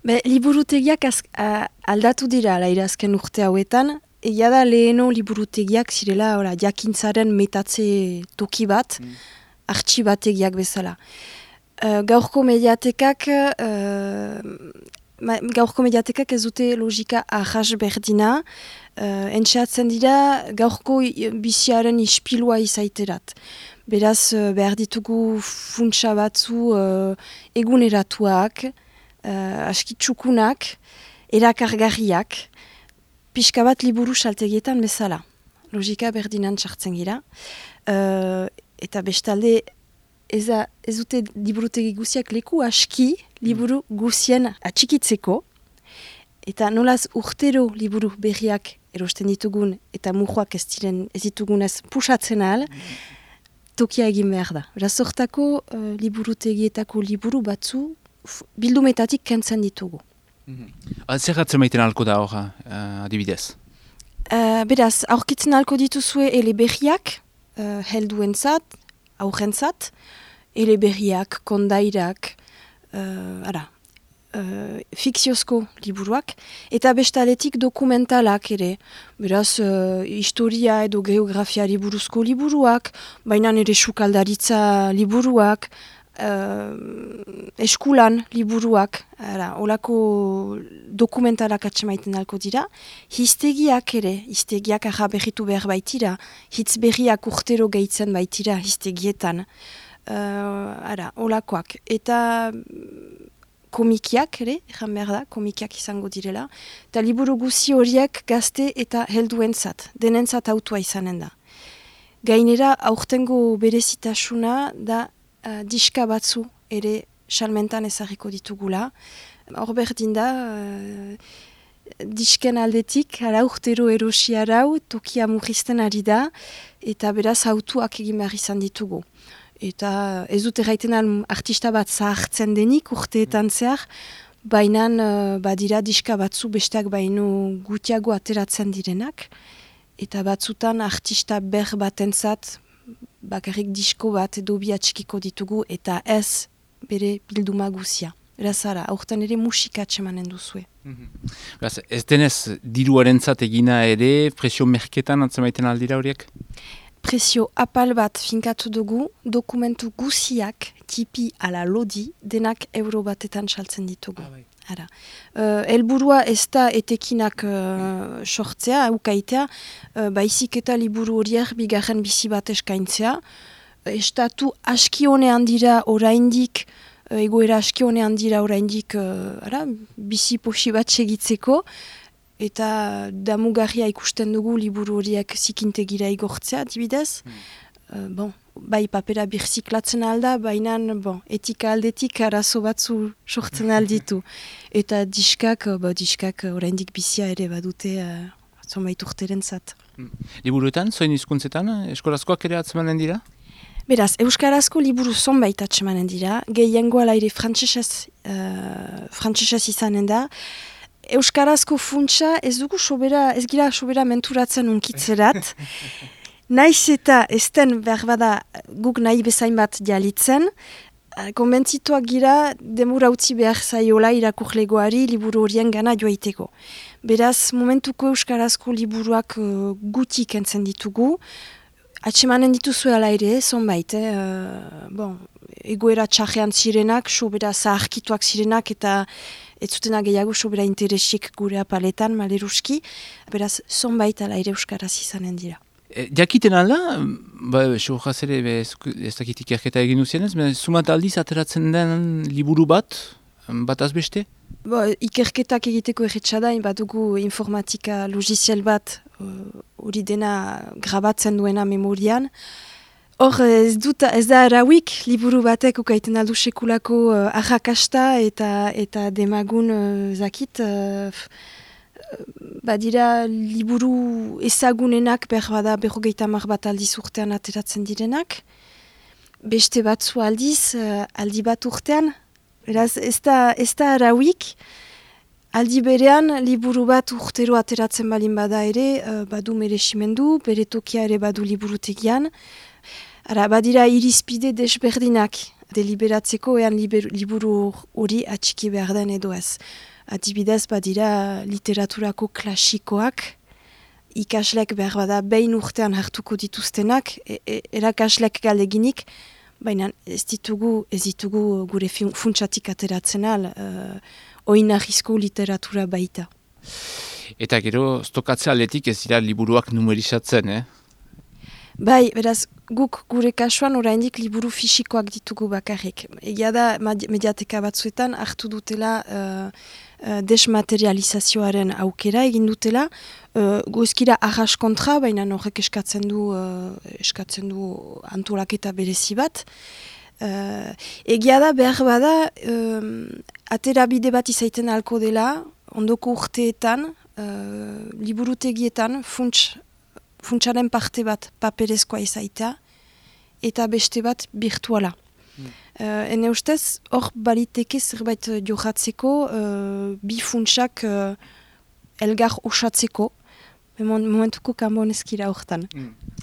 Liburutegiak aldatu dira alaira azken urte hauetan. Egia da leheno liburutegiak zirela jakintzaren metatze toki bat, artxibategiak bezala. Gaurko mediatekak ez dute logika ahas berdina, entxeatzen dira gaurko biziaren ispilua izaiterat. Beraz, behar ditugu funtsa batzu eguneratuak, askitsukunak, erakargarriak, pixka bat liburu saltegietan bezala. Logika berdinan txartzen gira. Eta bestalde, ez dute liburutegi guziak leku aski liburu guzien atxikitzeko. Eta nolaz urtero liburu berriak erosten ditugun eta mujoak ez ditugunez pusatzen ahal, tokia egin behar da. Beraz, hortako liburutegietako liburu batzu bildumetatik kentzen ditugu. Zer gatzen maiten alko da hor, adibidez? Beraz, aurkitzen alko dituzue eleberriak, helduentzat, aurrentzat, eleberriak, kondairak, fikziozko liburuak, eta bestaletik dokumentalak ere. Beraz, historia edo geografiari buruzko liburuak, baina ere sukaldaritza liburuak, eskulan liburuak, olako dokumentalak atsemaiten alko dira. Hiztegiak ere, hiztegiak berritu behar baitira, hitz berriak urtero gehitzen baitira hiztegietan. Olakoak. Eta komikiak ere, ejan behar da, komikiak izango direla. Eta liburu guzi horiek gazte eta helduentzat, denentzat autua izanen da. Gainera, aurtengo berezitasuna da diska batzu ere salmentan ezarriko ditugula. Hor berdin da, disken aldetik, urtero erosi arau, tokia murrizten ari da, eta beraz autuak egin behar izan ditugu. Eta ez dut erraiten artista bat zahartzen denik urteetan zehar, baina badira diska batzu besteak baino gutiago ateratzen direnak, eta batzutan artista ber batentzat bakarrik disko bat edo bi atxikiko ditugu eta ez bere bilduma guzia. Erazara, aurten ere musika atxemanen duzue. Ez denez diruarentzat egina ere, presio merketan atzemaiten aldira horiek? Presio apal bat finkatu dugu, dokumentu guziak, tipi ala lodi, denak euro batetan saltzen ditugu. Helburua ez da etekinak sortzea, ukaitea, baizik eta liburu horiek bigarren bizi bat eskaintzea. Estatu aski honean dira oraindik, egoera aski honean dira oraindik bizi posi bat segitzeko, eta damugarria ikusten dugu liburu horiek zikintegira igortzea, dibidez. Bai papera birziklatzen alda, baina etika aldetik arazo batzu sortzen alditu. Eta diskak oraindik bizia ere badute zonbait urteren zat. Liburuetan, zoin hizkuntzetan, eskolazkoak ere atzemanen dira? Beraz, euskarazko liburu zonbait atzemanen dira, gehiengoa laire frantsesez izanen da. Euskarazko funtsa ez gira sobera menturatzen unkitzerat. Naiz eta ezten behar bada guk nahi bezain bat jalitzen, konbentzituak gira demura utzi behar zaiola irakurlegoari liburu horien gana joaiteko. Beraz, momentuko euskarazko liburuak gutik entzen ditugu, atsemanen dituzue ala ere, zonbait, egoera txarrean zirenak, sobera zaharkituak zirenak eta ez zutena gehiago sobera interesik gure apaletan, maleruski, beraz, zonbait ala ere euskaraz izanen dira. Jakiten alda, sohaz ere ez dakitik erketa egin duzienez, sumat aldiz ateratzen den liburu bat azbeste? Ikerketak egiteko erretxada, badugu informatika logiziel bat hori dena grabatzen duena memorian. Hor ez da arauik liburu batek ukaiten aldu sekulako arrakasta eta demagun zakit... Badira liburu ezagunenak berbada 50 bat aldiz urtean ateratzen direnak. Beste batzu aldiz, aldi bat urtean. Beraz, ez da arauik. Aldi berean, liburu bat urtero ateratzen balin bada ere, badu meresimendu, bere tokia ere badu liburutegian. Badira irizpide desberdinak deliberatzeko ean liburu hori atxiki behar den edo ez. adibidez badira literaturako klasikoak, ikaslek behar bada behin urtean hartuko dituztenak, erakaslek galeginik, baina ez ditugu gure funtsatik ateratzen al, oinarrizko literatura baita. Eta gero, stokatzea aldetik ez dira liburuak numerizatzen, Bai, beraz, guk gure kasuan oraindik liburu fisikoak ditugu bakarrik. Egia da, mediateka batzuetan hartu dutela desmaterializazioaren aukera egin dutela, goizkira arras kontra, baina horrek eskatzen du antolaketa berezi bat. Egia da, behar bada, aterabide bat izaiten alko dela, ondoko urteetan, liburutegietan, funtsaren parte bat paperezkoa izaita, eta beste bat virtuala. Ene ustez, hor baliteke zerbait johatzeko, bi funtsak elgar osatzeko, momentuko kanbonezkira hortan.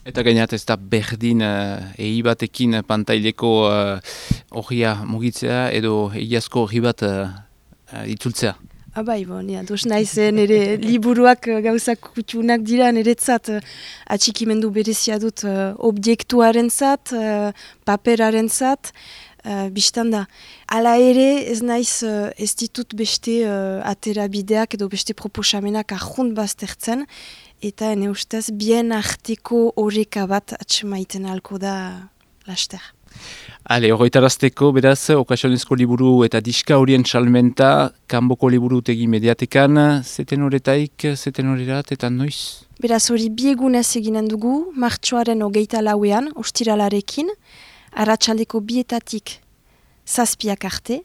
Eta gainat ez da berdin egi batekin pantaileko horria mugitzea edo egiazko horri bat itzultzea. Bai, dos naiz, nire liburuak gauzak kutxunak dira, niretzat atxikimendu berezia dut objektuaren zat, paperaren zat, biztan da. Hala ere, ez naiz, ez ditut beste aterabideak edo beste proposamenak ahunt baztertzen, eta ene ustez, bien arteko horreka bat atxemaiten alko da laster. Horretarazteko, beraz, okasionezko liburu eta diska horien salmenta, kanboko liburutegi mediatekan, zeten horretaik, zeten horrerat, eta noiz? Beraz, hori biegunez eginen dugu, martxoaren 24ean, ostiralarekin, arratsaldeko 2:00 zazpiak arte,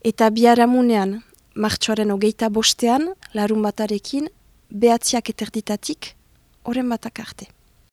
eta biharamunean, martxoaren 25ean, larun batarekin, 9:30 horren batak arte.